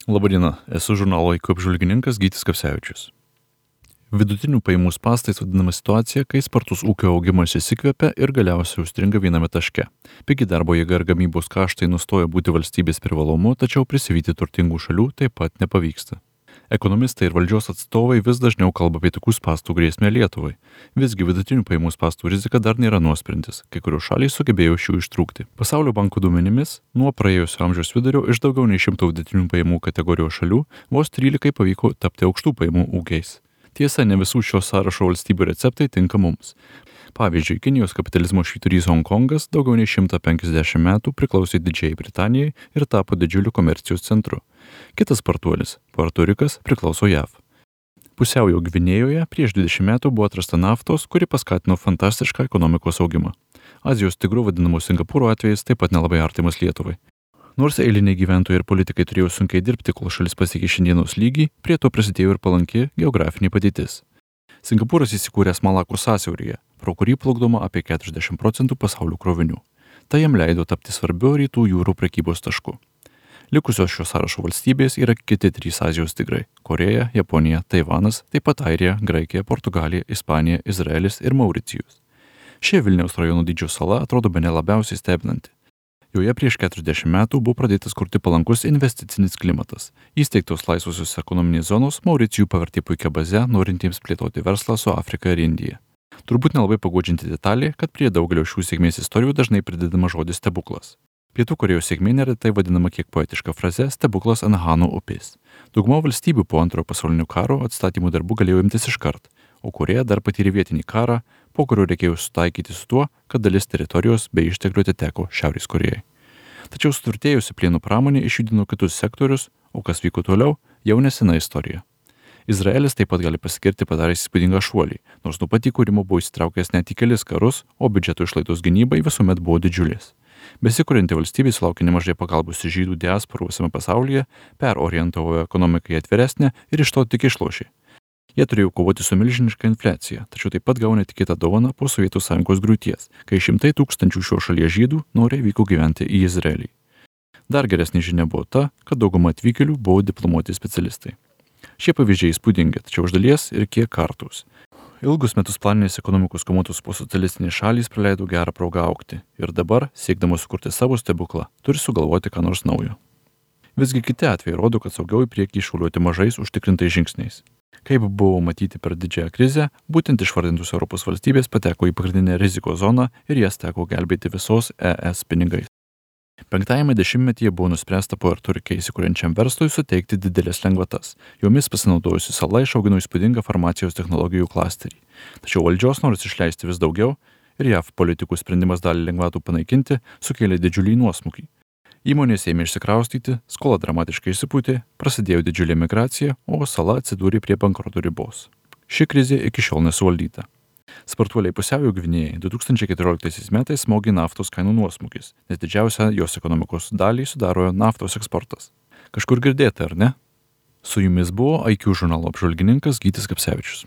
Labadiena, esu žurnalo IQ apžvalgininkas Gytis Kapsevičius. Vidutinių pajamų spąstais vadinama situacija, kai spartus ūkio augimas įsikvepia ir galiausiai užstringa viename taške. Pigi darbo jėga ir gamybos kaštai nustoja būti valstybės privalumu, tačiau prisivyti turtingų šalių taip pat nepavyksta. Ekonomistai ir valdžios atstovai vis dažniau kalba apie tokių spąstų grėsmę Lietuvai. Visgi vidutinių pajamų spąstų rizika dar nėra nuosprendis, kai kurios šalys sugebėjo iš jų ištrūkti. Pasaulio banko duomenimis, nuo praėjusio amžiaus vidurio iš daugiau nei 100 vidutinių pajamų kategorijos šalių vos 13 pavyko tapti aukštų pajamų ūkiais. Tiesa, ne visų šio sąrašo valstybių receptai tinka mums. Pavyzdžiui, Kinijos kapitalizmo švyturys Honkongas daugiau nei 150 metų priklausė Didžiajai Britanijai ir tapo didžiuliu komercijos centru. Kitas spartuolis, Puerto Rikas, priklauso JAV. Pusiaujo Gvinėjoje prieš 20 metų buvo atrasta naftos, kuri paskatino fantastišką ekonomikos augimą. Azijos tigru vadinamo Singapūro atvejais taip pat nelabai artimas Lietuvai. Nors eiliniai gyventojai ir politikai turėjo sunkiai dirbti, kol šalis pasiekė šiandienos lygį, prie to prisidėjo ir palanki geografinė padėtis. Singapūras įsikūręs Malakų sąsiauryje, pro kurį plukdoma apie 40% pasaulio krovinių. Tai jam leido tapti svarbiu rytų jūrų prekybos tašku. Likusios šio sąrašo valstybės yra kiti 3 Azijos tigrai – Koreja, Japonija, Taivanas, taip pat Airija, Graikija, Portugalija, Ispanija, Izraelis ir Mauricijus. Šie Vilniaus rajono dydžio sala atrodo bene labiausiai stebinanti. Joje prieš 40 metų buvo pradėtas kurti palankus investicinis klimatas. Įsteigtos laisvosios ekonominės zonos Mauricijų pavertė puikia baze, norintiems plėtoti verslą su Afrika ir Indija. Turbūt nelabai paguodžianti detalė, kad prie daugelio šių sėkmės istorijų dažnai pridedama žodis stebuklas. Pietų Korėjos sėkmė neretai vadinama kiek poetiška fraze stebuklas ant Hano upės. Dauguma valstybių po Antrojo pasaulinio karo atstatymų darbų galėjo imtis iškart, o Korėja dar patyrė vietinį karą, po kurio reikėjo sutaikyti su tuo, kad dalis teritorijos bei išteklių atiteko Šiaurės Korėjai. Tačiau suturtėjusi plieno pramonė išjudino kitus sektorius, o kas vyko toliau, jau nesena istorija. Izraelis taip pat gali pasigirti padaręs įspūdingą šuolį, nors nuo pat įkūrimo buvo įsitraukęs net į kelis karus, o biudžeto išlaidos gynybai visuomet buvo didžiulės. Besikurianti valstybė sulaukė nemažai pagalbos iš žydų diasporų visame pasaulyje, perorientavo ekonomiką į atviresnę ir iš to tik išlošė. Jie turėjo kovoti su milžiniška infliacija, tačiau taip pat gavo netikėtą dovaną po Sovietų Sąjungos griūties, kai šimtai tūkstančių šio šalies žydų noriai vyko gyventi į Izraelį. Dar geresnė žinia buvo ta, kad dauguma atvykėlių buvo diplomuoti specialistai. Šie pavyzdžiai įspūdingi, tačiau iš dalies ir kiek kartus. Ilgus metus planinės ekonomikos komuotos postsocialistinės šalys praleido gerą progą augti ir dabar, siekdamos sukurti savo stebuklą, turi sugalvoti ką nors naujo. Visgi kiti atvejai rodo, kad saugiau į priekį šuoliuoti mažais užtikrintais žingsniais. Kaip buvo matyti per didžiąją krizę, būtent išvardintus Europos valstybės pateko į pagrindinę rizikos zoną ir jas teko gelbėti visos ES pinigais. 5-ajame dešimtmetyje buvo nuspręsta Puerto Rike įsikuriančiam verslui suteikti didelės lengvatas. Jomis pasinaudojusi sala išaugino įspūdingą farmacijos technologijų klasterį. Tačiau valdžios noras išleisti vis daugiau ir JAV politikų sprendimas dalį lengvatų panaikinti sukėlė didžiulį nuosmukį. Įmonės ėmė išsikraustyti, skola dramatiškai išsipūtė, prasidėjo didžiulė migracija, o sala atsidūrė prie bankroto ribos. Ši krizė iki šiol nesuvaldyta. Spartuoliai Pusiaujo Gvinėjai 2014 metais smogė naftos kainų nuosmukis, nes didžiausią jos ekonomikos dalį sudaro naftos eksportas. Kažkur girdėta, ar ne? Su jumis buvo IQ žurnalo apžvalgininkas Gytis Kapsevičius.